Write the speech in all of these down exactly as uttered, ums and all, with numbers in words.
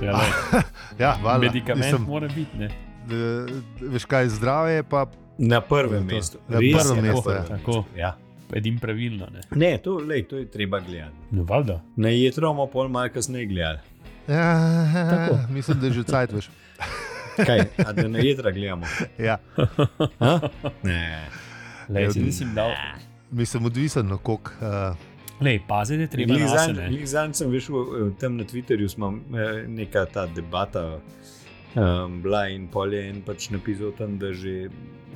Ja, ja, valjda. medikament Mislim, mora biti, ne? d- d- veš kaj, zdravje je pa Na prvem To- mestu. na Res prvem je mestu, ja. prvem Tako. mestu, Ja. Edim pravilno, ne? Ne, to, lej, to je treba gledati. No, valjda. Na jetro bomo pol malo kasneje gledali. ja, Tako. mislim, da je že cajt, veš. Kaj, a da na jetra gledamo? Ja, Ha? Ne. Lej, Ja, si nisem dal. mislim, odvisen na koliko. Uh, Lej, pazi, da je treba Glih nase, zanj- ne? glih zanj sem veš, v- v- tam na Twitterju smo eh, neka ta debata um, bila in pol je en pač napisal tam, da, že,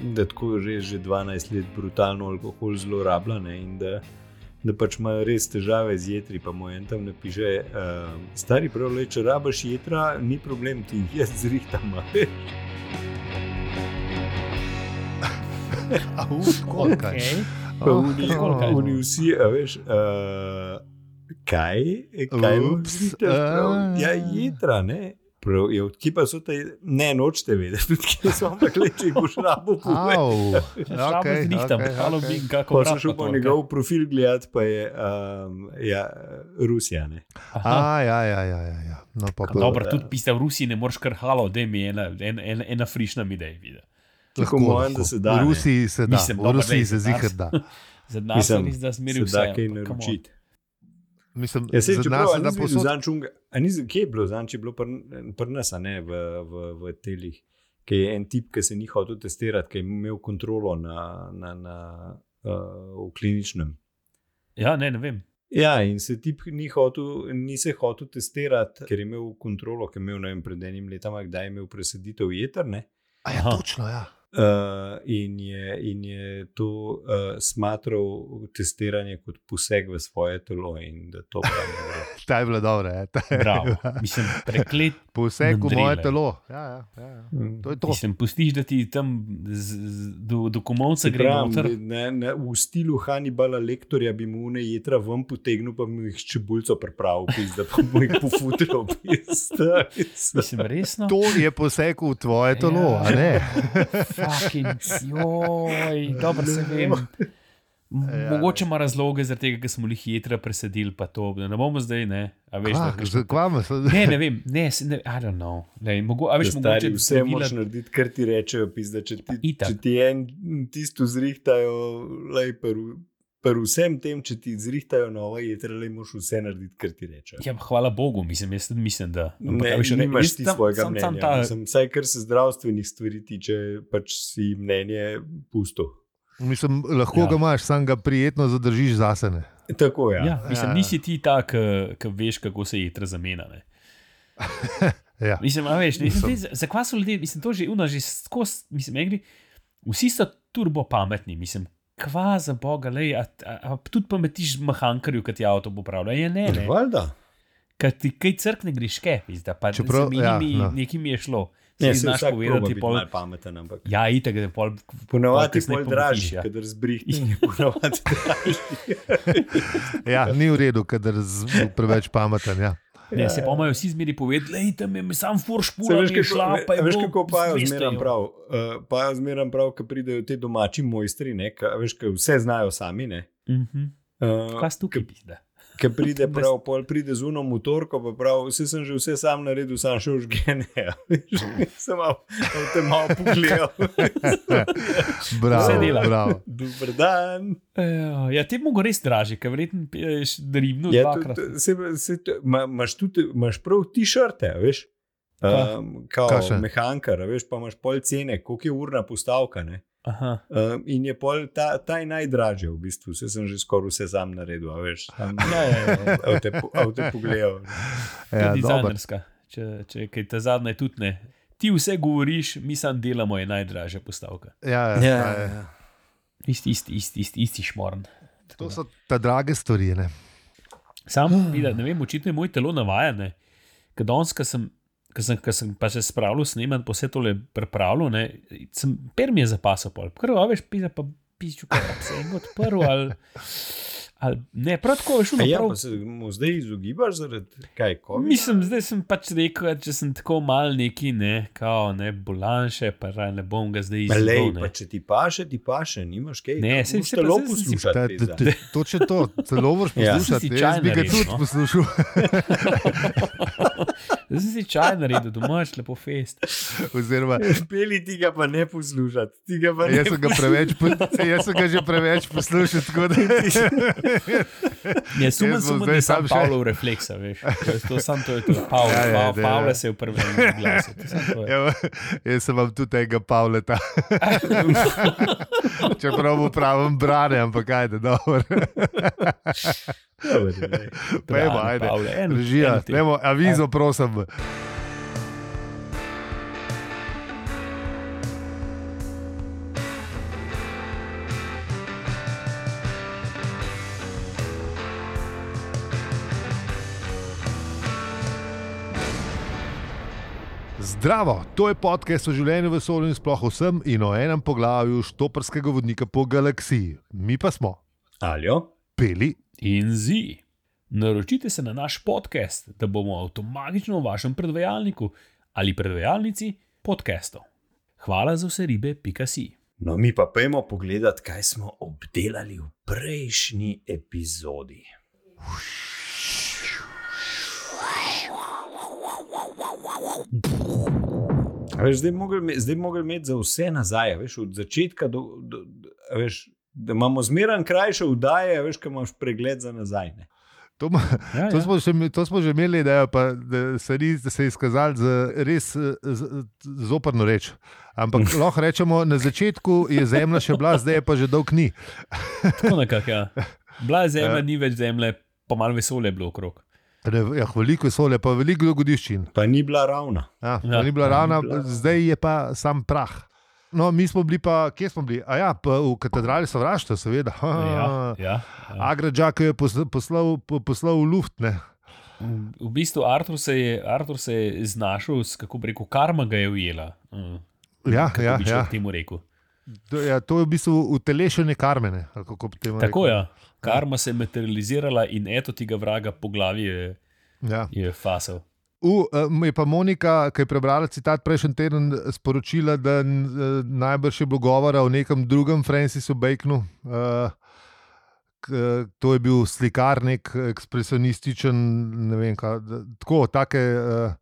da tako že, že dvanajst let brutalno alkohol zlorablja, ne, in da, da pač ima res težave z jetri, pa mu en tam napiše, uh, stari prav, le, če rabaš jetra, ni problem, ti jih jaz zrihtam. a veš. au, tako, kaj. Okej. Pa Oh, oni- koliko? Oni vsi, a veš, uh, kaj, kaj boš Ups, zrihtal? Prav, a. Ja, jetra, ne. Prav, je, kje pa so te, ne, nočete vedeti, tudi kje so, ampak le, če jih boš rabo povej. Au, Šabo okay, zrihtam, okay, halo, okay. bi kako Ko brat sem šel pa po to, njegov profil gledati, pa je um, ja, Rusija. Ne? Aha. A, ja, ja, ja, ja, ja. No, pa, pa, Dobro, tudi piste v Rusiji ne moreš kar halo, da mi je ena, ena, ena, ena frišna mi da je videti. Tako mojem, da se da. V ne. Rusiji se da, Mislim, v dobro, Rusiji glej, se za nas- zihar da. Za nas Mislim, je res, da smeri Se vse. da kaj ampak come on. naročiti. Mislim, Ja, sej, za čeprav, nas a se da nisi videl posod. zanj čunga, a nisi, kje je bilo zanj, če je bilo pri pr nas, a ne, v, v, v telih, ki je en tip, ki se ni hotel testirati, ki je imel kontrolo na, na, na, uh, v kliničnem. Ja, ne, ne vem. Ja, in se tip ni, hotel, ni se hotel testirati, ker je imel kontrolo, ker je imel, ne vem, pred enim letom, kdaj je imel presaditev jeter, ne? A ja, Aha. točno, ja. Uh, in, je, in je to uh, smatral testiranje kot poseg v svoje telo, in da to pravi. Ta je bila dobra, ja. Ta je Bravo. bila- Mislim, preklet. Poseg v Mandrile. moje telo. Ja, ja, ja, ja. To je to. Mislim, pustiš, da ti tam z, z, do, do komovca gre Pravim, noter. ne, ne, v stilu Hannibala Lektorja bi mu ne jetra ven potegnil, pa bi jih s čebulco pripravil, da pa mu jih pofutril. Mislim, resno. To je poseg v tvoje telo, Ja. a ne? Fucking, joj, dobro se vem. M- Ja. Mogoče ima razloge, zaradi tega, ker smo jih jedra presadili, pa to. Da ne bomo zdaj, ne. A veš, da, Kva, kakšno- kva me so- ne, ne vem, ne, se ne, I don't know. Lej, mogo, a veš, Stari, mogoče vse zdravila- moraš narediti, kar ti rečejo. Pizda, če, ti, Itak. če ti en tisto zrihtajo, lej, per, per vsem tem, če ti zrihtajo nova jetra, le moraš vse narediti, kar ti rečejo. Ja, hvala Bogu, mislim, jaz tudi mislim, da. Ampak, Ne, a veš, nimaš jaz ti tam- svojega sam- mnenja. sam ta- Mislim, vsaj kar se zdravstvenih stvari tiče, pač si mnenje pusto. Mislim, lahko Ja. ga imaš, sam ga prijetno zadržiš zase. Ne? Tako je. Ja, mislim, Ja. nisi ti ta, ki veš, kako se jedra zamenja. Ne. Ja. Mislim, a veš, ne, zdaj, za- zakaj so ljudje, mislim, to že una, že skozi, mislim, meni, vsi so turbo pametni, mislim, kva za boga, lej, a, a, a tudi pametiš mehankarju, ki ti avto popravlja. Ja, ne, ne. Valjda. Kad ti kaj crkne greške, pizda, pa Čeprav, z ja, menimi no. nekaj mi je šlo. Ne, Si se znaš vsak proba povedati, biti pol, malo pameten, ampak ja, itak, da je pol, ponavadi kasneje je bolj pometiš, dražji, ja. kadar zbrihni, je ponavadi dražji. Ja, ni v redu, kadar z- preveč pameten. Ja. ne, se pa imajo vsi zmeri povedati, lej, tam je mi sam furš Se pula, veš, mi je šla, pa je kako, veš, bilo kako pajo dvesto zmeram evrov. prav? Uh, pajo zmeram prav, ko pridejo ti domači mojstri, ne, ka, veš, ki vse znajo sami. Ne, Mhm. uh, Kaj si tukaj pizda? Ki pride prav, pol pride z uno motorko, pa prav, vse sem že vse sam naredil, sam še užgene. Sem malo v tem malo pogledal. Bravo, Vse dela. bravo. Dober dan. Ja, ja, te mogo res draži, ker verjetno piješ dribno Ja, dvakrat. tudi, se, se, to- ma, imaš, tudi, imaš prav ti-širte, veš? Kaj? Um, kao Kaj še? mehankar, a veš, pa imaš pol cene, koliko je urna postavka. Ne? Aha. Um, in je pol ta, ta je najdražji, v bistvu. Vse sem že skoraj vse sam naredil, a veš. Sam, Ja, ja, ja. avte, po- avte pogledal. Ja, Ja, dober. dizajnerska. Če, če kaj ta zadnja je tudi ne. Ti vse govoriš, mi sam delamo, je najdražja postavka. Ja, ja, ja, ja. Isti, isti, isti, isti, isti šmorn. To so ta drage stvari. Ne? Sam, vida, ne vem, očitno je moj telo navajane. Ker danes, ko sem, ko sem, ko sem pa se spravil sneman, pa vse tole pripravljal, ne, sem per mi je zapasal pol. Prvo, a veš, pisa pa pišču, kaj pa se en odprl ali... Ali, ne, prav tako je šlo. Ja, prav... pa se mu zdaj izogibaš zaradi kaj? COVID? Mislim, zdaj sem pač rekel, če sem tako mal neki, ne, kao, ne, bolanše, pa raj ne bom ga zdaj izzival. Lej, pa če ti paše, ti paše, nimaš kaj. Ne, se se telo pa zdaj sem si- poslušati. Točno to, celo vrš Ja. poslušati. Si Jaz bi ga čaj tudi naredil, no. poslušal. Zdaj sem si čaj naredil, domač lepo fest. Oziroma, Peli ti ga pa ne poslušati. Ti ga pa ne jaz sem ga preveč, po- jaz sem ga že preveč poslušal, tako da Ne, sumen, Jaz bom sumen zdaj je sam sam še- Pavlov refleksa, veš. To, je- to sam to je to. Pavel, Ja, ja, ja, ja, da, Pavle ja. se je v prvem glasu. To samo to je. Evo, jaz sem vam tudi tega Pavleta. Čeprav mu pravim brane, ampak ajde, dobro. Pejmo, Brane, ajde. Pavle, en- Režija, en ti. dajmo avizo, prosim. Zdravo, to je podcast o življenju, vesolju in sploh vsem in o enem poglavju štoparskega vodnika po galaksiji. Mi pa smo Aljo? Peli. In zi. Naročite se na naš podcast, da bomo avtomatično v vašem predvajalniku ali predvajalnici podcastov. Hvala za vse ribe, pika si. No, mi pa pojmo pogledat, kaj smo obdelali v prejšnji epizodi. A Veš, zdaj bi mogli ime- zdaj bi mogli imeti za vse nazaj, a veš, od začetka do, do, do a veš, da imamo zmeraj krajše vdaje, a veš, ko imaš pregled za nazaj. Ne? To, ma- Ja, to, ja. smo že, to smo že imeli, da, je pa, da se, ni, da se je izkazalo za res eh, z- zoprno reč. Ampak lahko rečemo, na začetku je zemlja še bila, zdaj je pa že dolg ni. Tako nekako, ja. Bila je zemlja, Ja. ni več zemlje, pa malo vesolje je bilo okrog. Ne, Ja, veliko vesolja, pa veliko dogodiščin. Pa ni bila ravna. Ja, Ja, ja, ni bila pa ni ravna, bila- zdaj je pa sam prah. No, mi smo bili pa, kje smo bili? A ja, pa v katedrali sovraštva, seveda. Ha, Ja, ja, ja. Agradžak je posl- poslal, po- poslal v luft. Ne? V bistvu Artur se je, Artur se je znašel, s, kako bi rekel, karma ga je ujela. Mm, Ja, kako ja, bi ja. človek temu rekel. To, ja, to je v bistvu utelešenje karmene. ali kako bi temu Tako rekel. je. Ja. Karma se je materializirala in eto tega vraga po glavi je, Ja. je fasal. U, um, je pa Monika, ki je prebrala citat prejšnji teden, sporočila, da uh, najbrž je bilo govora o nekem drugem Francisu Baconu. Uh, k, to je bil slikar, nek ekspresionističen, ne vem, kaj, da, tako, take uh,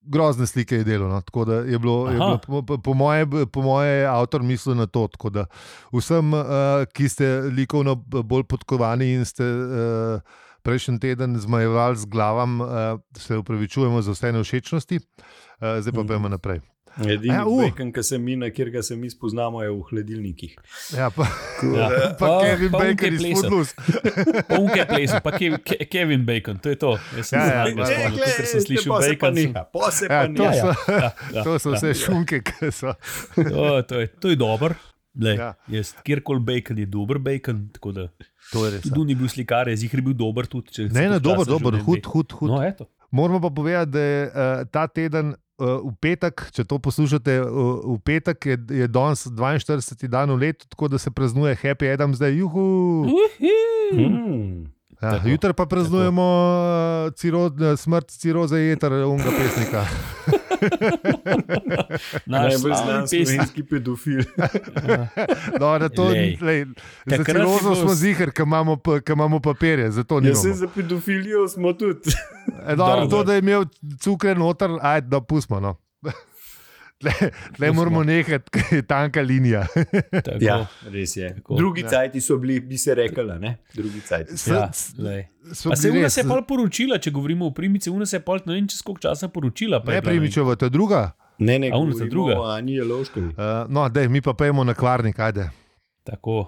grozne slike je delal. No, tako da je bilo, je Aha. bilo po, po, po, moje, po moje avtor mislil na to. Tako da vsem, uh, ki ste likovno bolj podkovani in ste. Uh, Prejšnji teden zmajevali z glavam, uh, se upravičujemo za vse nevšečnosti, uh, zdaj pa pojmo naprej. Edini Ja, uh. bacon, ki se mi, na kjer ga se mi spoznamo, je v hladilnikih. Ja, pa, Ja. pa Pa- Kevin pa Bacon unke iz plesal. Footloose. Punke plesal, pa Kev, Ke, Kevin Bacon, to je to. Jaz sem Ja, ja, zadnjič ja. spomnil, ker sem slišal pa se pa Bacon. sem- neha, pa se Ja, pa to, neha. so, Ja, ja, to so ja. vse šunke, ki so. To, to je, to je dober. Lej, Ja. ja. Kjerkoli bacon je dober bacon, tako da To je res. tudi ni bil slikar, je zihar bil dober tudi. Če se Ne, ne, počasi dober, dober, življenje hud, ve. hud, hud. No, eto. Moramo pa povedati, da je uh, ta teden uh, v petek, če to poslušate, uh, v petek je, je danes dvainštirideseti dan v letu, tako da se praznuje Happy Adam zdaj, juhu. Uhi. Hmm. Ja, Tako, jutri pa praznujemo uh, ciro, uh, smrt ciroze jeter, unga pesnika. Naš Najbolj slavni znan pesnik. slovenski pedofil. No, da to, Lej. lej, za Takrat je cirozo bilo smo s- zihar, ker imamo, pa- ker imamo papirje, zato Jaz sem nimamo. za pedofilijo smo tudi. E, dobro, Dobro. to, da je imel cukre noter, ajde, da pustimo. No. Le moramo nehati, ker je tanka linija. Tako, Ja, res je. Tako. Drugi Ja. cajti so bili, bi se rekla, ne? Drugi cajti. S- Ja, s- lej. so Pa se bili ura res- se je pol poročila, če govorimo o primici, ura se je pol ne vem čez koliko časa poročila. pa je Ne, bila, ne vem. Primičeva, to je druga. Ne, ne, A ona za govorimo druga? o Ani Jelovškovi. Uh, no, dej, mi pa pojmo na kvarnik, ajde. Tako.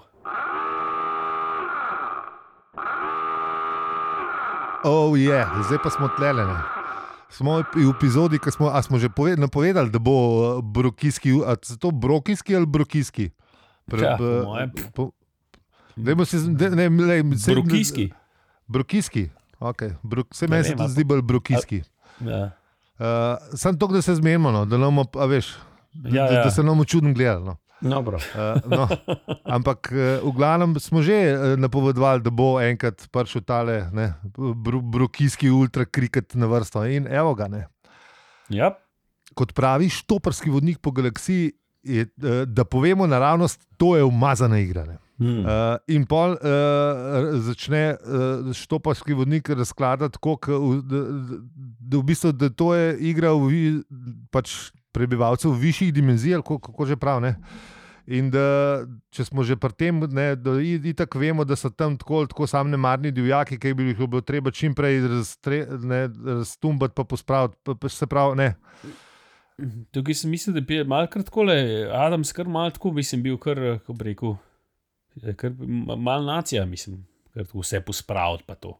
Oh, je, yeah. Zdaj pa smo tlelene. Smo v epizodi, ki smo, a smo že poved, napovedali, da bo uh, brokijski, a so to brokijski ali brokijski? Ja, po mojem. po, dajmo se, z- de, ne, lej, se, Brokijski. Brokijski, okay. Brok, se Ne meni se vem, to a- zdi bolj brokijski. Ja. Uh, Sam to, da se zmenimo, no, da, nam, a veš, Ja, da, ja. da se nam čudno gledalo. No. No, uh, no. Ampak uh, v glavnem smo že uh, napovedovali, da bo enkrat prišel tale br brokijski ultrakriket na vrsto. In evo ga. Ne. Ja. Kot pravi štoparski vodnik po galaksiji, je, uh, da povemo naravnost, to je umazana igra. Ne. Hmm. Uh, in pol uh, začne uh, štoparski vodnik razkladati, kako da, da, da v bistvu da to je igra v, pač prebivalcev v višjih dimenzijah, kako, kako že prav. Ne? In da če smo že pri tem, ne, da itak vemo, da so tam tako, tako sam nemarni divjaki, ki bi jih bilo treba čim prej raztumbati pa pospraviti, pa, pa se pravi, ne. Tukaj sem mislil, da bi malo kratkole, Adam skar malo tako, mislim, bil kar, kako bi rekel, kar mal nacija, mislim, kar vse pospraviti pa to.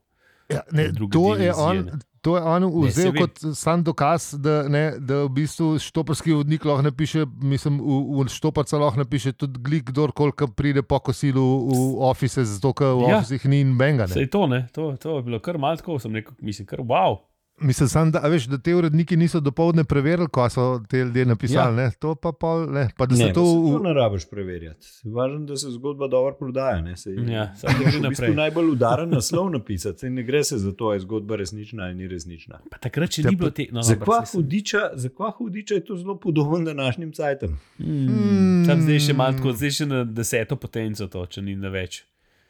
Ja, ne, to, je on, to je on vzel ne, kot sam dokaz, da, ne, da v bistvu štoparski vodnik lahko napiše, mislim, v, v štoparca lahko napiše tudi glik, kdorkoli pride po kosilu v office, zato ker v ja. officih ni in benga. Sej to, ne, to, to je bilo kar malo tako, sem rekel, mislim, kar wow. Mislim, sam, da, veš, da te uredniki niso dopoldne preverili, ko so te ljudje napisali. Ja. Ne, to pa pol, ne, pa da ne, se to... Ne, to ne rabiš preverjati. Važno, da se zgodba dobro prodaja. Ne, se, ja, samo že naprej. V bistvu najbolj udaren naslov napisati. Ne gre se za to, je zgodba resnična ali ni resnična. Pa takrat, če ni bilo te... No, za kva hudiča, hudiča je to zelo podoben današnjim cajtom. Mm, mm. Tam zdaj še malo tako, zdaj še na deseto potenco to, če ni na več.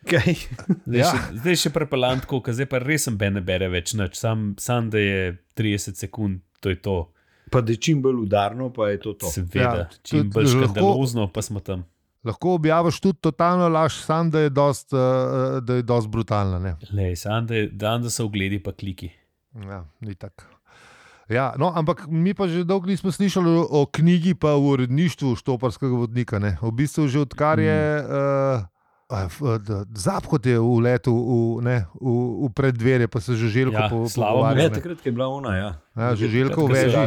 Okay. Zdaj, ja. še, zdaj še prepelant, ko zdaj pa res sem ne bere več nič, sam, sam da je trideset sekund, to je to. Pa da je čim bolj udarno, pa je to to. Seveda, ja, čim bolj škandalozno, pa smo tam. Lahko objaviš tudi totalno laž, sam da je dost, uh, da je dost brutalna. Ne? Lej, sam da, je, dan, da so ogledi pa kliki. Ja, ni tako. Ja, no, ampak mi pa že dolgo nismo slišali o, o knjigi pa v uredništvu štoparskega vodnika. Ne? V bistvu že odkar je... Mm. Uh, Zaphod je v letu v, ne, v, v preddverje, pa se Žuželjko ja, pogovarja. Ja, takrat je bila ona, ja. Ja, Žuželjko v veži.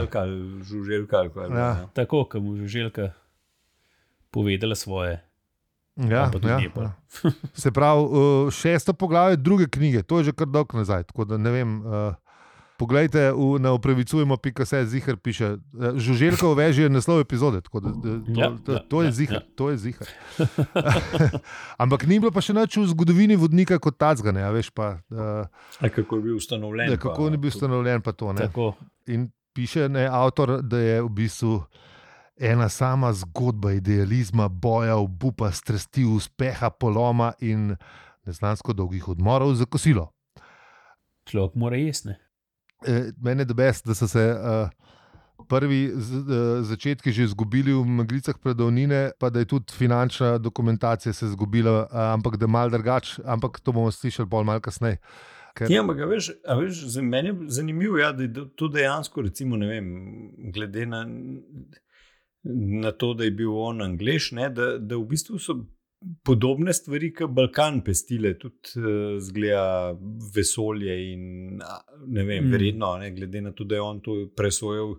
Žuželjka, ja. Ja. Tako, ko mu Žuželjka povedala svoje. Ja, ja, ja. Se pravi, šesto poglavje druge knjige, to je že kar dolgo nazaj, tako da ne vem... Uh, Poglejte, v, na opravičujemo pika se zihar piše, Žuželjko v veži je naslov epizode, tako da to, ja, to, to je ja, zihar, ja. to je zihar. Ampak ni bilo pa še nič v zgodovini vodnika kot tacga, ne, a veš pa. Uh, a kako je bil ustanovljen? Da, kako je bil ustanovljen pa to, ne. Tako. In piše ne, avtor, da je v bistvu ena sama zgodba idealizma, boja, obupa, strasti, uspeha, poloma in neznansko dolgih odmorov za kosilo. Človek mora jesti, ne. Mene je best, da so se uh, prvi z, uh, začetki že izgubili v meglicah predavnine, pa da je tudi finančna dokumentacija se izgubila, uh, ampak da je malo drugače, ampak to bomo slišali bolj malo kasneje. Ker... Ja, ampak veš, veš, za mene je zanimivo, ja, da je to dejansko, recimo, ne vem, glede na, na to, da je bil on Anglež, ne, da, da v bistvu so podobne stvari, kot Balkan pestile, tudi uh, zgleda vesolje in ne vem, mm. verjetno, ne, glede na to, da je on to presojal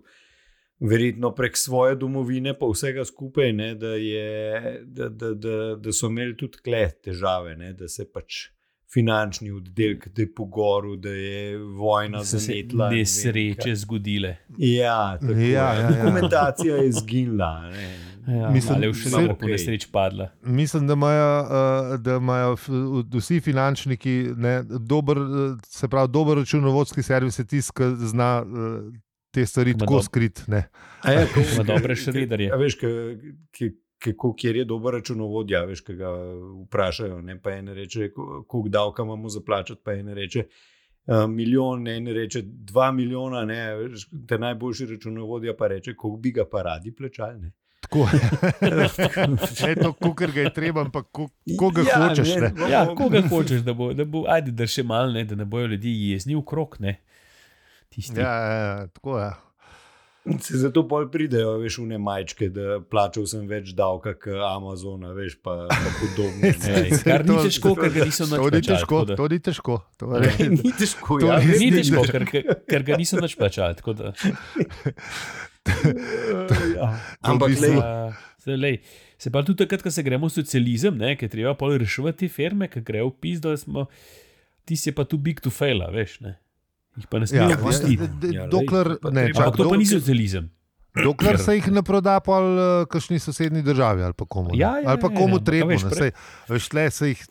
verjetno prek svoje domovine, pa vsega skupaj, ne, da, je, da, da, da, da so imeli tudi tle težave, ne, da se pač finančni oddelek, da je po goru, da je vojna zanetla. Da se nesreče zgodile. Ja, tako ja, ja, ja. Dokumentacija je zginila, ne. Ja, mislim, ali je še samo po nesreč padla. Mislim, da imajo, uh, da imajo vsi finančniki ne, dober, se pravi, dober računovodski servis je tisti, ki zna uh, te stvari Ma tako dob... skrit. Ne. A ja, ko, ima dobre šridarje. A veš, kako kjer je dober računovodja, veš, ki ga vprašajo, ne, pa ene reče, koliko davka imamo za plačati, pa ene reče uh, milijon, ne, ene reče dva milijona, ne, veš, te najboljši računovodja pa reče, koliko bi ga pa radi plačali, ne. Tako je to, kogar ga je treba, ampak koga ja, hočeš. Ne? Ne? Ja, koga hočeš, da bo, da bo, ajde, da še malo, ne, da ne bojo ljudi jezni v krog, ne. Tisti. Ja, ja, tako je. Se zato pol pridejo, veš, v ne majčke, da plačal sem več davka k Amazona, veš, pa, pa podobno. Ej, kar ni težko, ker ga niso nič plačali. To ni težko. To ne, ni težko, to ja. Ni težko, ker, ker ga niso nič plačali, tako da... ja. Ampak lej, se, lej, se pa tudi takrat, ko se gremo v socializem, ne, ker treba pol reševati te firme, ker grejo v pis, da smo, ti si pa tu big to fail, veš, ne. Jih pa ne smejo ja, pustiti. Ja, dokler, ne, ampak to pa ni socializem. Dokler se jih ne proda pa v kakšni sosednji državi ali pa komu. Ja, ja, ali pa komu ja, treba. veš, pre... Veš, tle se jih,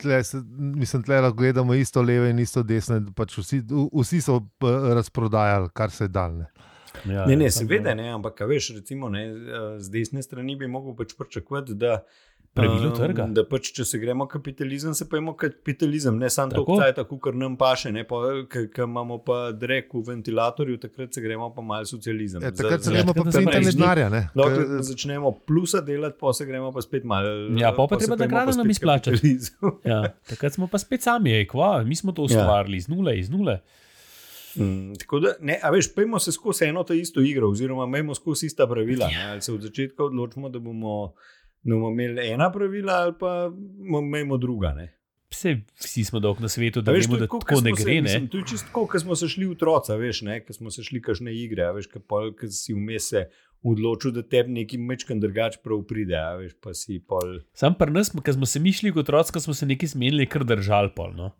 tle se, mislim, tle lahko gledamo isto leve in isto desne. Pač vsi, vsi so razprodajali, kar se je dal. Ne, ja, ne, ne seveda ne, ampak veš, recimo, ne, z desne strani bi mogel pač pričakovati, da pravilo trga. Da pač, če se gremo kapitalizem, se pa imamo kapitalizem, ne samo to, kaj tako, kar nam paše, ne, pa, ker imamo pa drek v ventilatorju, takrat se gremo pa malo socializem. Ja, takrat se gremo pa pintanje denarja, ne. Dokler začnemo plusa delati, pa se gremo pa spet malo. Ja, pa pa treba, da grano nam izplačati. Ja, takrat smo pa spet sami, ej, kva, mi smo to ustvarili iz nule, iz nule. Mm, tako da, ne, a veš, pojmo se skozi eno to isto igro, oziroma imamo skozi ista pravila, ne, ali se od začetka odločimo, da bomo da bomo imeli ena pravila ali pa imamo druga. Ne? Vse, vsi smo dolg na svetu, da veš, vemo, da tako, tako ne gre. Ne? To je čisto tako, ko smo se šli v troca, veš, ko smo se šli kakšne igre, veš, ko si vmes se odločil, da tebi neki mečkan drugač prav pride. Veš, pa si pol... Sam pri nas, ko smo se mi šli kot otroci, ko smo se neki zmenili, kar držali pol. No?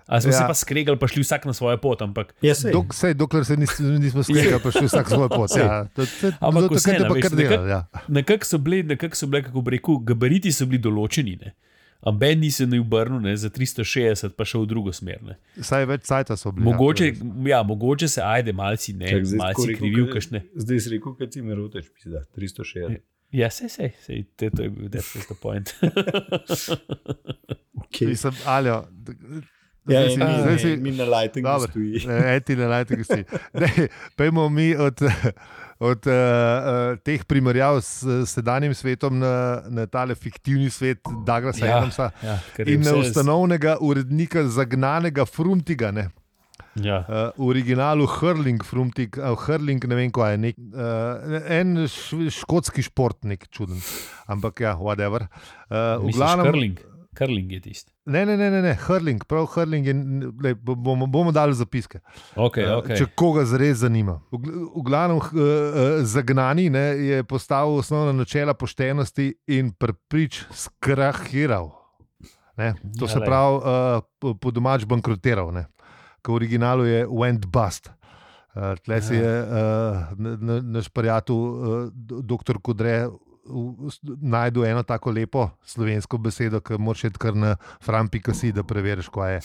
Ali smo ja. se pa skregali, pa šli vsak na svojo pot. Ampak... Ja, Dok, sej, dokler se nis, nismo skregali, pa šli vsak na svojo pot. Ja. To, to, ampak to, vse, to, to nekako ja. nekak so bili, nekak so bili, kako bi rekel, gabariti so bili določeni. Ne? Amben ni se ne obrnil ne, za tristo šestdeset, pa šel v drugo smer. Ne. Saj več cajta so bili. Mogoče, ja, mogoče se ajde malci, ne, Čak, malci krivil kašne. Zdaj si rekel, kad si me roteš, da tristo šestdeset. Ja, sej, sej, sej, to je bil, that's the point. Okay. Mislim, Aljo, ja, si, ne, si, mi na lightingu stoji. Ne, ti na lightingu stoji. Pejmo mi od, od uh, uh, teh primerjav s sedanjim svetom na, na tale fiktivni svet Douglasa ja, Adamsa ja, in na ustanovnega urednika zagnanega Frumtiga. Ne? Ja. Uh, v originalu Hurling, Frumtig, uh, Hurling, ne vem, kaj je nek, uh, en š, škotski športnik, čuden. Ampak ja, whatever. Uh, Misliš glavnem, Hurling? Hurling je tisti. Ne, ne, ne, ne, ne, Hurling, prav Hurling je, le, bomo, bomo dali zapiske. Okay, okay. Če koga zares zanima. V, v glavnem uh, zagnani ne, je postavil osnovna načela poštenosti in preprič skrahiral. Ne? To se pravi, uh, po, po domač bankrotiral. Ne? Ko v originalu je went bust. Uh, tle si je uh, naš prijatelj, uh, doktor Kodre, najdu eno tako lepo slovensko besedo, ki moraš iti kar na fran pika si, da preveriš, kaj je.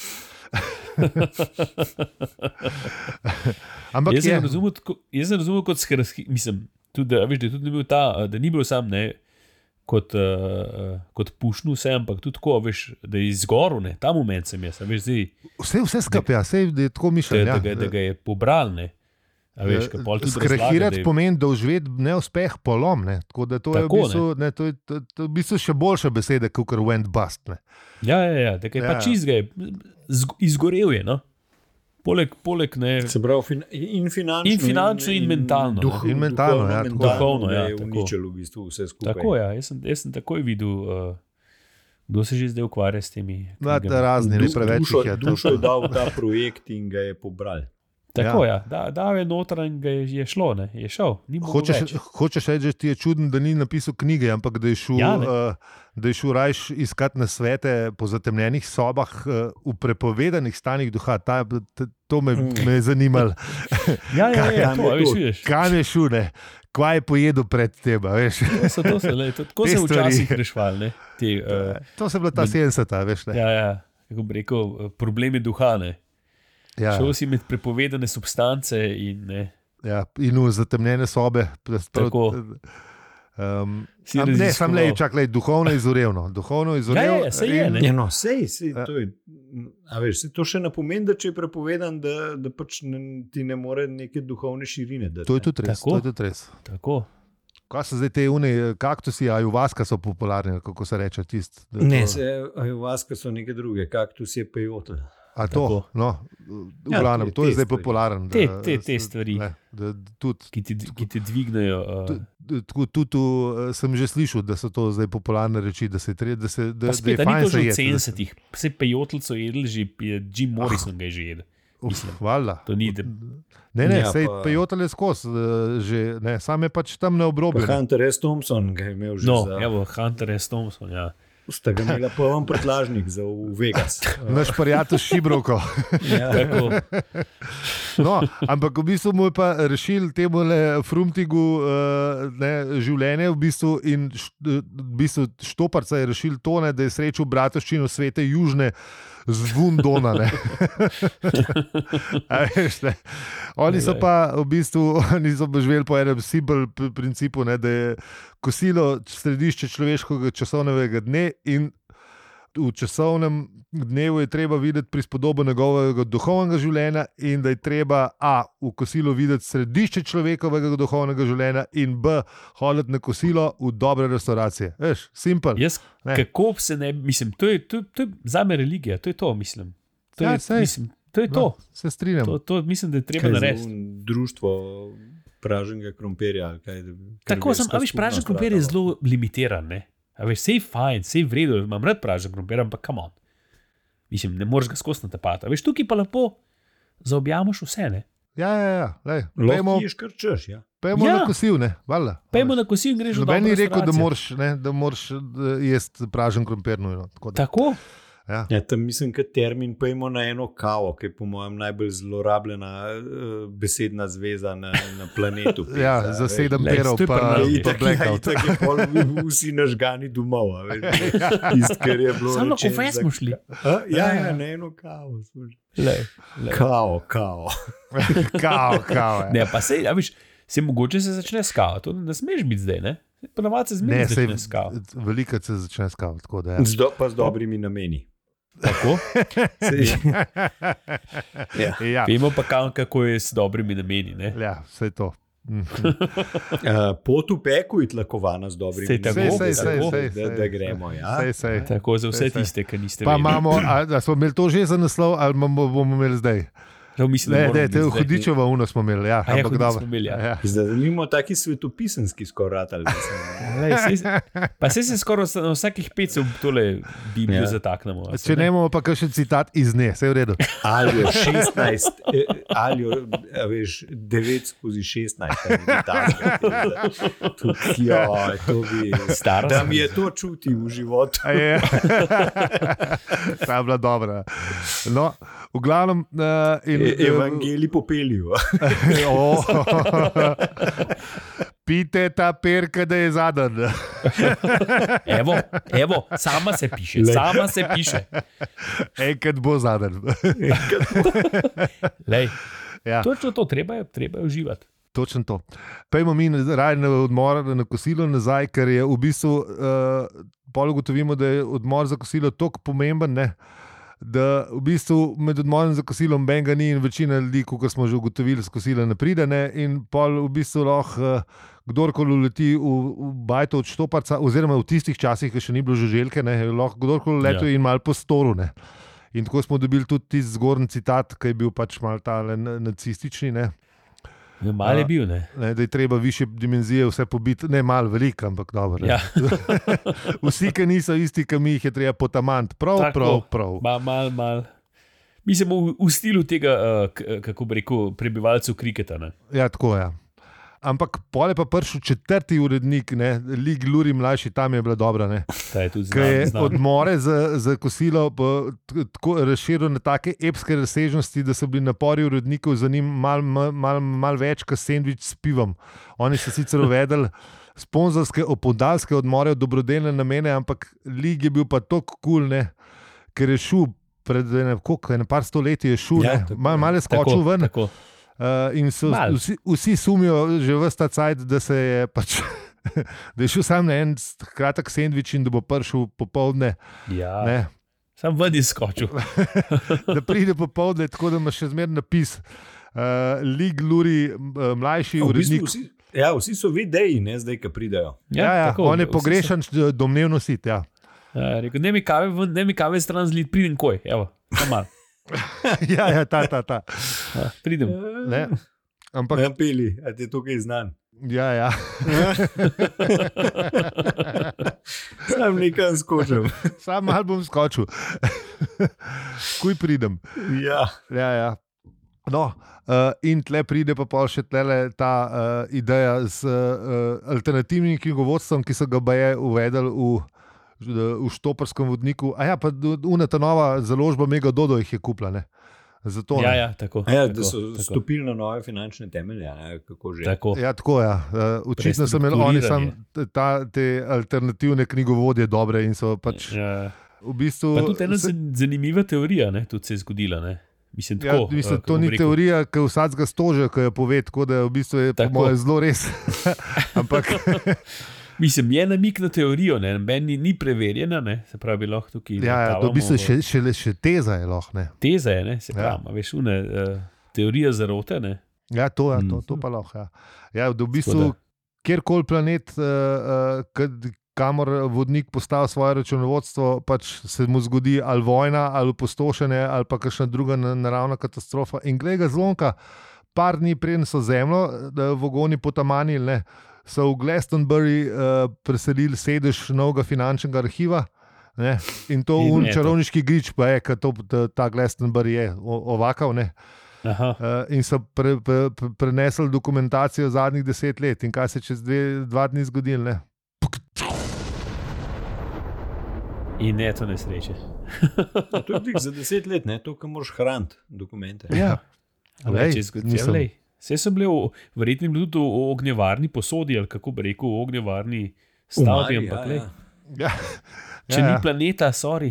Ampak jaz sem razumel, jaz sem razumel kot skrski, mislim, tudi, da, veš, da, tudi bil ta, da ni bil sam ne, kot, uh, kot pušnu vse, ampak tudi tako, veš, da je izgoril, ne, ta moment sem jaz, veš, zdaj. Vse, vse skupaj, ja, vse je tako mišljen. Da, ja. da, da ga je pobral, ne. Skrahirati pomeni doživeti neuspeh, polom. Ne? Tako da to je, tako, v bistvu, ne? Ne, to je to, to v bistvu še boljša beseda, kot went bust. Ne? Ja, ja, ja, da je ja. pač izgaj, izgorel je. No? Poleg, poleg ne. Se pravi, fin, in finančno, in, finančno in, in mentalno. Duh, in mentalno, ja, duhovno, ja, je uničilo v bistvu vse skupaj. Tako, ja, jaz sem, jaz sem takoj videl, uh, kdo se že zdaj ukvarja s temi. No, razni, ne preveč. Dušo je, dušo je dal ta projekt in ga je pobral. Tako ja. je, da, da je noter in ga je, je šlo, ne? Je šel. Hočeš, hočeš reči, da ti je čuden, da ni napisal knjige, ampak da je šel, ja, uh, da je šel rajš iskati na svete po zatemnjenih sobah uh, v prepovedanih stanjih duha. Ta, ta, to me, me je zanimalo. Ja, ja, ja, to, veš, vidiš. Kam je šel, ne? Kva je pojedel pred teba, veš? To so, to so, le, to, tako se včasih rešval, ne? Te, uh, to se je bila ta sedemdeseta, veš, ne? Ja, ja, kako bi rekel, problemi duha, ne? Ja. Šel si med prepovedane substance in ne. Ja, in v zatemnjene sobe. Tako. Um, am, ne, sam le, čak le, duhovno izorevno. Duhovno izorevno. Ja, ja, sej je, ne. Ja, no, sej, sej, to je, a veš, to še ne pomeni, da če je prepovedan, da, da pač ne, ti ne more neke duhovne širine dati. To je tudi res, to je tudi res. Tako. Kaj so zdaj te une, kaktusi, ajuvaska so popularni, kako se reče tist? Ne, to... se, ajuvaska so neke druge, kaktus je peyote. A to, no, v glavnem, ja, to je zdaj popularen. Te, te, te stvari, ne, da, tudi, ki, ti, ki ti dvignejo. Uh... Tudi tu, tu, sem že slišal, da so to zdaj popularne reči, da se je, da se, da, pa spet, da je fajn se jedeti. Ni to že v sedemdesetih, vse pejotlco jedli, že Jim Morrison ga je že jedel. Hvala. Ni, da... Ne, ne, ja, sej pa... pejotel je skozi, že, ne, sam je pač tam na obrobju. Hunter S. Thompson ga je imel že no, za... No, evo, Hunter S. Thompson, ja. Sta ga imela poln prtlažnik za v Vegas. Naš prijatelj Šibrovko. Ja. No, ampak v bistvu mu je pa rešil temu Frumtigu uh, ne, življenje v bistvu in š, v bistvu Štoparca je rešil to, ne, da je srečal bratovščino Svete Južne zvon Dona. Ne. A veš, ne. Oni so pa v bistvu oni so pa živeli po enem simpel principu, ne, da je kosilo središče človeškega časovnega dne in v časovnem dnevu je treba videti prispodobo njegovega duhovnega življenja in da je treba a. v kosilu videti središče človekovega duhovnega življenja in b. hoditi na kosilo v dobre restauracije. Veš, simpel. Jaz, kako se ne, mislim, to je, to, to je zame religija, to je to, mislim. To Ja, je, sej. mislim, to je to. No, se strinjam. To, to mislim, da je treba Kaj za narediti. un društvo praženega krompirja? ali Kaj, Tako sem, a veš, pražen krompir je zelo limitiran, ne? A veš, sej fajn, sej v redu, imam rad pražen krompir, ampak come on. Mislim, ne moreš ga skozi natapati. A veš, tukaj pa lepo zaobjamaš vse, ne? Ja, ja, ja. Lej, Lahko pejmo, ješ kar češ, ja. pejmo Ja. na kosil, ne? Valjda. Pejmo na kosil in greš v Noben dobro ni rekel, da restauracijo. moraš, ne, da moraš eh, jesti pražen krompir nujno. Tako da, Tako? ja. Ja, tam mislim, da termin pojmo na eno kavo, ki je po mojem najbolj zlorabljena uh, besedna zveza na, na planetu. Ja, Pizza, za veš. sedem Lej, perov to je pa, pri nas. pa Itak, ja, blackout. itak je pol vsi nažgani domov. a veš. Tisto, kar je bilo Samo na rečeno kofe za- smo šli. A, ja, ja, na eno kavo. smo šli. Lej, lej. Kao, kao. Kao, kao. Ja. Ne, pa sej, a veš, se mogoče se začne s kavo, to ne smeš biti zdaj, ne? Ponavadi se Ne, zmeraj sej, začne s kavo. veliko se začne s kavo. Tako da, ja. Z do, pa z dobrimi nameni. Tako? Sej, ja. Ja, Vemo pa kam, kako je s dobrimi nameni, ne? ja, vse to. Mhm. Uh, pot v peku je tlakovana z dobrimi Sej tako, nameni. sej, sej, Tako, sej, da, sej. da gremo. Ja. Sej, sej. Tako za vse Sej, sej. tiste, ki niste Pa vedeli. imamo, a, a smo imeli to že za naslov, ali bomo, bomo imeli zdaj? Žal mislim, da Ne, moramo ne, biti te v zdaj. Hudičevo uno smo imeli. Ja, A ja, ampak Hudič dobro. smo imeli, ja. Ja. Zdaj imamo taki svetopisanski skoraj. Lej, sej, pa se se skoraj na vsakih pet se v tole Biblijo Ja. zataknemo. a se Če ne imamo pa še citat iz nje, vse je v redu. Ali je šestnajst, eh, ali je, a veš, devet skozi šestnajst. Ja, to bi. Stara Da sem. mi je to čuti v životu. A je. Ta je bila dobra. No, v glavnem. Uh, in, E, Evangeli popeljijo. oh, pite ta perka, da je zadnji. Evo, evo, sama se piše, Lej. sama se piše. Enkrat bo zadnji. Lej, Ja. točno to, treba je, treba je uživati. Točno to. Pejmo mi raje na odmor, na kosilo nazaj, ker je v bistvu, uh, pol ugotovimo, da je odmor za kosilo tako pomemben, ne, da v bistvu med odmorom za kosilo benga ni in večina ljudi, kot smo že ugotovili, z kosila ne pride, ne, in pol v bistvu lahko uh, kdorkoli uleti v, v bajto od Štoparca, oziroma v tistih časih, ki še ni bilo žuželke, ne, je lahko kdorkoli letel Ja. in mal po storu, ne. In tako smo dobili tudi tisti zgornji citat, ki je bil pač mal tale nacistični, ne. No, mal je bil, ne? Ne, da je treba više dimenzije vse pobiti, ne malo, veliko, ampak dobro. Ja. Vsi, ki niso isti, ki mi jih je treba potamant. Prav, Tako. prav, prav. Ma, mal, mal. Mi smo v, v stilu tega, uh, k, kako bi rekel, prebivalcev kriketa. Ne? Ja, tako je. Ja. Ampak pole pa prišel četrti urednik, ne, Lig Luri mlajši, tam je bila dobra. Ne. Ta je tudi Ki je znam, znam. odmore za, za kosilo pa t- tako razširil na take epske razsežnosti, da so bili napori urednikov za njim malo mal, mal, mal več kot sendvič s pivom. Oni so sicer uvedli sponzorske opodalske odmore v dobrodelne namene, ampak Lig je bil pa tako kul, cool, ker je šel pred ene, koliko, ene par stoletji, je šel, Ja, ja, tako, malo mal je Tako, skočil ven. tako. Uh, in so, Malo. vsi, vsi sumijo že vsta cajt, da se je pač. Da je šel sam na en kratek sendvič in da bo prišel popoldne. Ja, Ne, sam ven izskočil. da pride popoldne, tako da ima še zmeraj napis. Uh, Lig Luri, uh, mlajši V bistvu urednik. vsi, ja, vsi so videji, ne zdaj, ki pridejo. Ja, ja, tako, on je vsi pogrešan, domnevno sit. Ja. so- Ja, rekel, ne mi kave, ven, ne mi kave stran zlid, pridem koj, evo, samo malo. ja, ja, ta, ta, ta. Ja, pridem. Ne. Ampak, Ja, pili, a ti je tukaj znan. ja, ja. Sam nekaj skočim. Sam mal bom skočil. Kuj pridem. Ja. Ja, ja. No, uh, in tle pride pa pol še tlele ta uh, ideja z uh, alternativnim knjigovodstvom, ki so ga baje uvedli v v štoparskem vodniku. A ja, pa una ta nova založba Mega Dodo jih je kupila, ne. Zato, ja, ja, tako. Ja, tako, da so tako. stopili na nove finančne temelje, ne, kako že. Tako. Ja, tako ja. Uh, očitno so imeli oni sam ta, te alternativne knjigovodje dobre in so pač ja. v bistvu... Pa tudi ena se... zanimiva teorija, ne, tudi se je zgodila, ne. Mislim, tako, ja, mislim, to ni rekel. teorija, ki vsakega stože, ki jo pove, tako da v bistvu je po moje zelo res. Ampak... Mislim, je namik na teorijo, ne, meni ni preverjena, ne, se pravi, lahko tukaj... Ja, ja, to v bistvu še, še, še teza je lahko, ne. Teza je, ne, se pravi, ja. veš, une, uh, teorija zarote, ne. Ja, to, ja, to, to pa lahko, ja. Ja, v bistvu, kjerkoli planet, uh, uh, kamor vodnik postavi svoje računovodstvo, pač se mu zgodi ali vojna, ali opustošenje, ali pa kakšna druga naravna katastrofa. In glej ga zlomka, par dni preden so zemljo, vogoni potamanili, ne, so v Glastonbury uh, preselili sedež novega finančnega arhiva, ne, in to in v čarovniški grič pa je, ker to, ta Glastonbury je ovakav, ne. Aha. Uh, in so pre, pre, pre, prenesli dokumentacijo zadnjih deset let in kaj se čez dve, dva dni zgodilo, ne. In ne to nesreče. To je za deset let, ne, to, kar moraš hraniti dokumente. Ja, lej, nisem... Vse so bile, verjetno bili tudi v ognjevarni posodi, ali kako bi rekel, v ognjevarni stavbi, ampak ja, ja. Če ja, ni ja. planeta, sorry.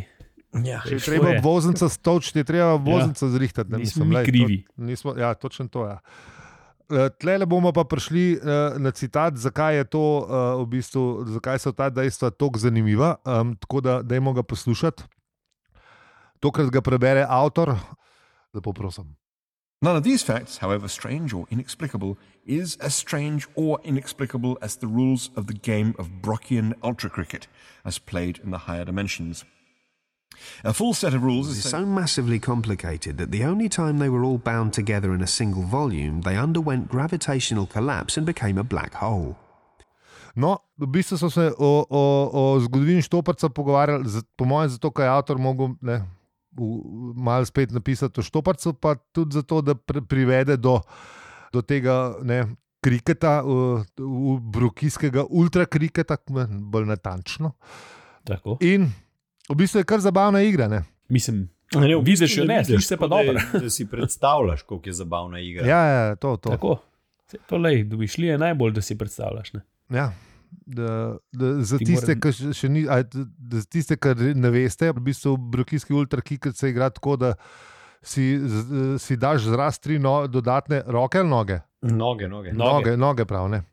Ja. Če je treba obvoznica stočiti, je treba obvoznica ja. zrihtati. Ne, nismo mislim, mi lej, krivi. To, nismo, ja, točno to, ja. Tlele bomo pa prišli uh, na citat, zakaj je to, uh, v bistvu, zakaj so ta dejstva toliko zanimiva, um, tako da dajmo ga poslušati. Tokrat ga prebere avtor, lepo prosim. None of these facts, however strange or inexplicable, is as strange or inexplicable as the rules of the game of Brockian ultra cricket, as played in the higher dimensions. A full set of rules is so massively complicated that the only time they were all bound together in a single volume, they underwent gravitational collapse and became a black hole. No, v bistvu so se o, o, o zgodovini Štoparca pogovarjali, po mojem, zato, ker je avtor mogel... Ne, malo spet napisati o Štoparcu, pa tudi zato, da privede do, do tega ne, kriketa, v, v brokijskega ultrakriketa, bolj natančno. Tako. In v bistvu je kar zabavna igra. Ne. Mislim, ne, v bistvu vidiš jo ne, slišiš se pa dobro. Da, da si predstavljaš, koliko je zabavna igra. Ja, ja, to, to. Tako. To lej, domišljije je najbolj, da si predstavljaš. Ne. Ja. Da, da, za tiste, ki moram... še ni, da za tiste, ki ne veste, v bistvu brokijski ultrakiket se igra tako, da si, si daš zraz tri no, dodatne roke ali noge? Noge, noge. Noge, noge prav, ne.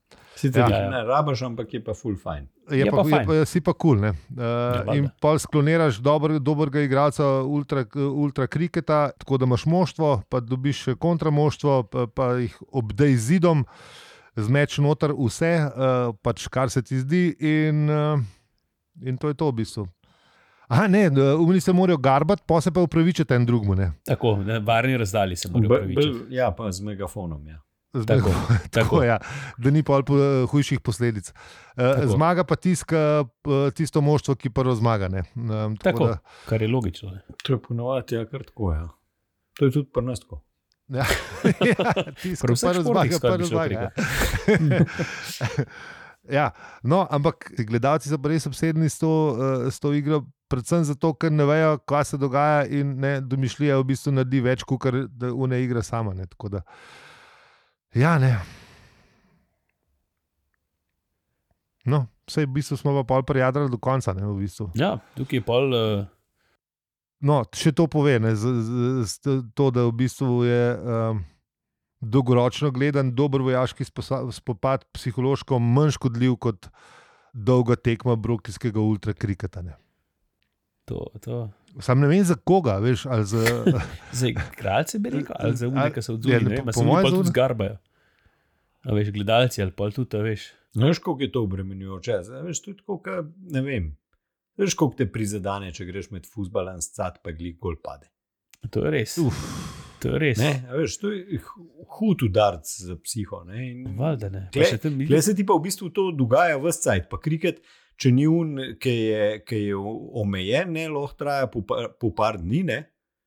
Sicer ja, ne rabaš, ampak je pa full fine. Je, je pa, pa, je pa si pa cool, ne. Uh, in pol skloniraš dober, dobrega igralca ultra, ultra kriketa, tako da imaš moštvo, pa dobiš kontramoštvo, pa, pa jih obdej zidom, zmeč noter vse, uh, pač kar se ti zdi in, uh, in to je to v bistvu. Aha, ne, umili se morajo garbati, pa se pa upravičiti en drugmu, ne. Tako, na varni razdalji se morajo upravičiti. Ja, pa z megafonom, ja. Z tako, tako, tako ja, da ni pol hujših posledic. Uh, zmaga pa tiska, tisto moštvo, ki prvo zmaga, ne. Um, tako, tako da, kar je logično. Ne. To je ponovati, ja, kar tako, ja. To je tudi pri nas tako. Ja, ja, tisto, prvo zmaga, prvo zmaga. Ja, no, ampak gledalci so pa res obsedeni s to, uh, s to igro, predvsem zato, ker ne vejo, kaj se dogaja in ne, domišljija v bistvu naredi več, kot da une igra sama, ne, tako da, ja, ne. No, vsej v bistvu smo pa pol prijadrali do konca, ne, v bistvu. Ja, tukaj je pol... Uh... No, še to pove, ne, z, z, z, to, da v bistvu je um, dolgoročno gledan dober vojaški spopad psihološko manj škodljiv kot dolga tekma brokijskega ultrakriketa. To, to. Sam ne vem za koga, veš, ali za... za igralce bi rekel, ali za une, ki se odzuli, ne vem, a se oni pa tudi zgarbajo. A veš, gledalci ali pa tudi, a veš. Ne veš, koliko je to obremenjujoče, veš, tudi koliko, ne vem. Veš, koliko te prizadane, če greš med fuzbalom s cat, pa glik gol pade. To je res. Uf, to je res. Ne, veš, to je hud udarc za psiho. Valjda ne. Tle se ti pa v bistvu to dogaja ves cajt. Pa kriket, če ni un, ki je, ki je omejen, ne, lahko traja po, po par dni, ne.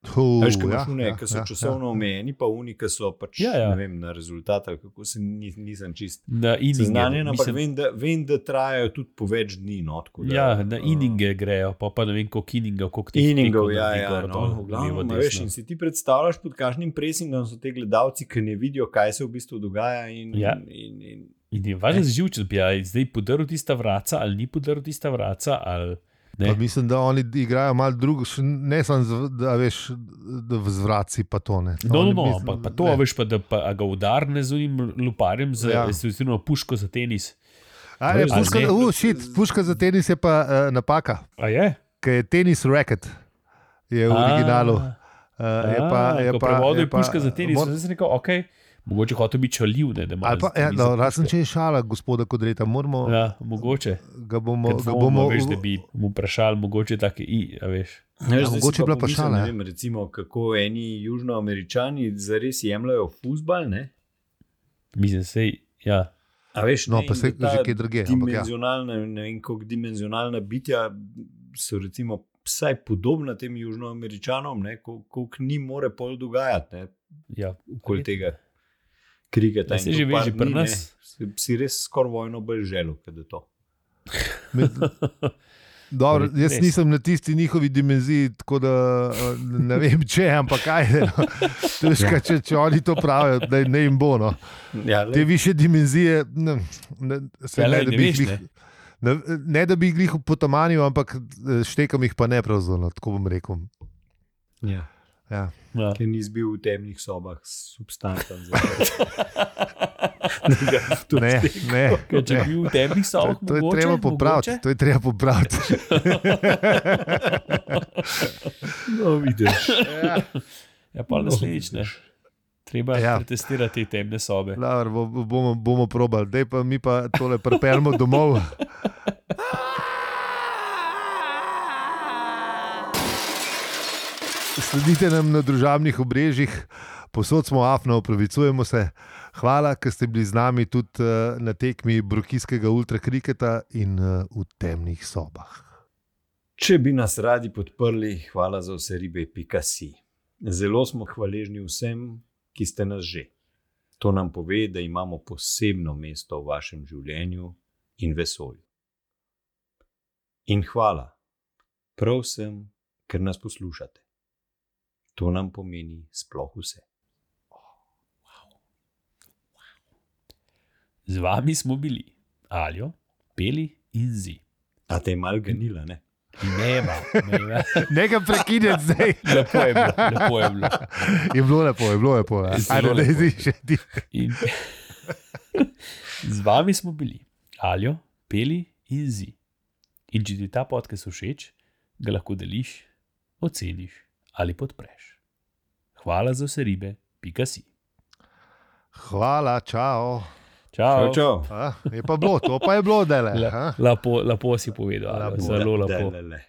Uh, Veš, ki ja, imaš une, ja, ki so ja, časovno omejeni, pa oni, ki so pač Ja, ja. ne vem, na rezultat, ali kako se ni, nisem čist Na ininge, seznanjen, ampak mislim, vem, da, vem, da trajajo tudi po več dni. No, tako da, ja, na uh, ininge grejo, pa pa ne vem, koliko iningov, koliko teh Iningov, tekov ja, naredi ja, gor, no, dol, v glavnem, levo, a veš, desno. in si ti predstavljaš, pod kakšnim presingom so te gledalci, ki ne vidijo, kaj se v bistvu dogaja. In, Ja. in, in, In je važno živčen, bi ja, zdaj podaril tista vraca, ali ni podaril tista vraca, ali Pa ne. mislim, da oni igrajo malo drugo, še ne samo z, da veš, da v zvraci pa to ne. No, no, Oni no, mislim, ampak pa to, ne. veš, pa, da pa, a ga udarne z unim luparjem, z Ja. ja. puško za tenis. A, ne, Veš, puška, ne. uh, shit, puška za tenis je pa uh, napaka, A je? ker je tenis racket, je v originalu. Uh, je pa, je ko pa, prevodu je je puška za tenis, mor- zdaj sem rekel, ok, mogoče hotel biti čaljiv, ne, da ima. Ali pa, ja, no, razen če je šala, gospoda Kodreta, moramo, ja. Ja, mogoče. ga bomo, Ker ga dvomimo, bomo veš, da bi mu vprašali, mogoče take i, a veš. Veš, Ja, zdaj si mogoče je bila pa pomislim, šala, ne ja. vem, recimo, kako eni južnoameričani zares jemljajo fuzbal, ne? Mislim, sej, ja. A veš, No, ne, pa in saj da ta že kje drugje, ampak ja. Dimenzionalna, ne vem, koliko dimenzionalna bitja so recimo vsaj podobna tem južnoameričanom, ne, kol- koliko ni more pol dogajati, ne, ja. okoli tega kriketa. Ja, In saj to že veš, par že pri dni, nas. ne, si, si res skoraj vojno bolj želel, kot da to. Med, dobro, Res. jaz nisem na tisti njihovi dimenziji, tako da uh, ne vem, če, ampak kaj je. No. Težko, če, če oni to pravijo, da ne jim bo. No. Ja, Te više dimenzije, ne, ne, se, Ja, ne, lej, da ne bi veš, jih glih, ne, ne da bi jih glih potamanil, ampak eh, štekam jih pa ne pravzaprav, tako bom rekel. ja, Ja. Ja. ker ni zbil v temnih sobah s substancem. Ne, ne, Ker če ne. bi bil v temnih To, sobah, to je mogoče, treba popraviti. mogoče. To je treba popraviti. No, vidiš. Ja. Ja, pa naslednjič, ne. Treba Ja. ja. pretestirati te temne sobe. Laver, bo, bomo, bomo probali, dej pa mi pa tole pripeljemo domov. Sledite nam na družabnih obrežjih, posod smo afno, opravičujemo se. Hvala, ker ste bili z nami tudi uh, na tekmi brokijskega ultrakriketa in uh, v temnih sobah. Če bi nas radi podprli, hvala za vse ribe, pika si. Zelo smo hvaležni vsem, ki ste nas že. To nam pove, da imamo posebno mesto v vašem življenju in vesolju. In hvala, prav vsem, ker nas poslušate. To nam pomeni sploh vse. Z vami smo bili Aljo, Peli in Zi. A te je mal ganila, ne? Nema, nema. Nekaj prekinjati zdaj. Lepo je bilo, lepo je bilo. Je bilo lepo, je bilo lepo. Ja. Zelo Ajde, daj, lepo. zdaj še ti. In z vami smo bili Aljo, Peli in Zi. In če ti ta podcast všeč, ga lahko deliš, oceniš ali podpreš. Hvala za vse ribe, pika si. Hvala, čau. Čau. Čau, čau. A, je pa bilo, to pa je bilo dele. La, a? lepo, lepo si povedal, Aljo, Lepo. zelo lepo. Delele.